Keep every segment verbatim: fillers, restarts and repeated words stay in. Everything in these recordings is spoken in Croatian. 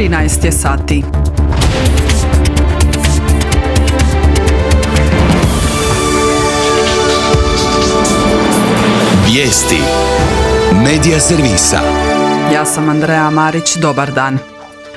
trinaest je sati. Vijesti Medija servisa. Ja sam Andreja Marić, dobar dan.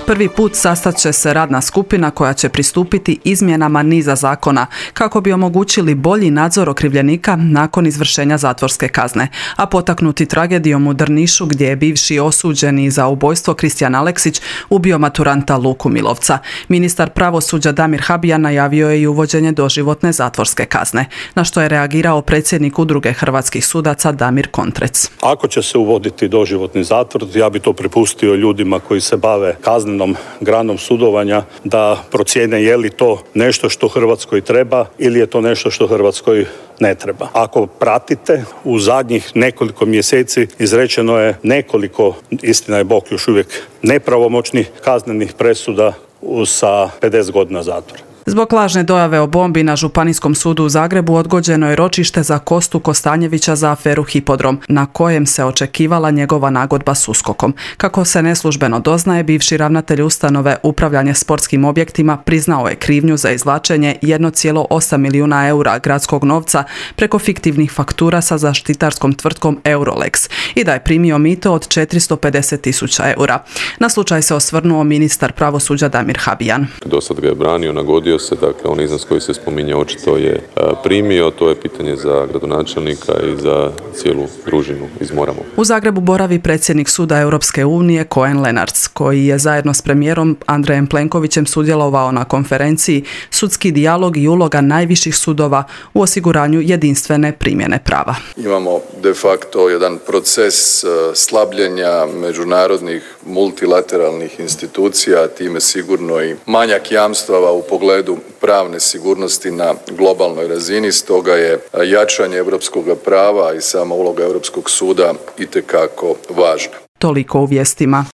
Prvi put sastat će se radna skupina koja će pristupiti izmjenama niza zakona kako bi omogućili bolji nadzor okrivljenika nakon izvršenja zatvorske kazne, a potaknuti tragedijom u Drnišu gdje je bivši osuđeni za ubojstvo Kristijan Aleksić ubio maturanta Luku Milovca. Ministar pravosuđa Damir Habijan najavio je i uvođenje doživotne zatvorske kazne, na što je reagirao predsjednik Udruge hrvatskih sudaca Damir Kontrec. Ako će se uvoditi doživotni zatvor, ja bi to prepustio ljudima koji se bave kaznenom granom sudovanja da procijene je li to nešto što Hrvatskoj treba ili je to nešto što Hrvatskoj ne treba. Ako pratite, u zadnjih nekoliko mjeseci izrečeno je nekoliko, istina je Bog, još uvijek nepravomoćnih kaznenih presuda sa pedeset godina zatvora. Zbog lažne dojave o bombi na Županijskom sudu u Zagrebu odgođeno je ročište za Kostu Kostanjevića za aferu Hipodrom, na kojem se očekivala njegova nagodba s uskokom. Kako se neslužbeno doznaje, bivši ravnatelj ustanove upravljanje sportskim objektima priznao je krivnju za izvlačenje jedan zarez osam milijuna eura gradskog novca preko fiktivnih faktura sa zaštitarskom tvrtkom Eurolex i da je primio mito od četiristo pedeset tisuća eura. Na slučaj se osvrnuo ministar pravosuđa Damir Habijan. Do sad ga je branio, nagodio se, dakle on iznos koji se spominje očito je primio, to je pitanje za gradonačelnika i za cijelu družinu iz Moramo. U Zagrebu boravi predsjednik suda Europske unije Koen Lenarts, koji je zajedno s premijerom Andrejem Plenkovićem sudjelovao na konferenciji Sudski dijalog i uloga najviših sudova u osiguranju jedinstvene primjene prava. Imamo de facto jedan proces slabljenja međunarodnih multilateralnih institucija, time sigurno i manjak jamstava u pogledu pravne sigurnosti na globalnoj razini, stoga je jačanje europskog prava i sama uloga Europskog suda itekako važna. Toliko u vijestima.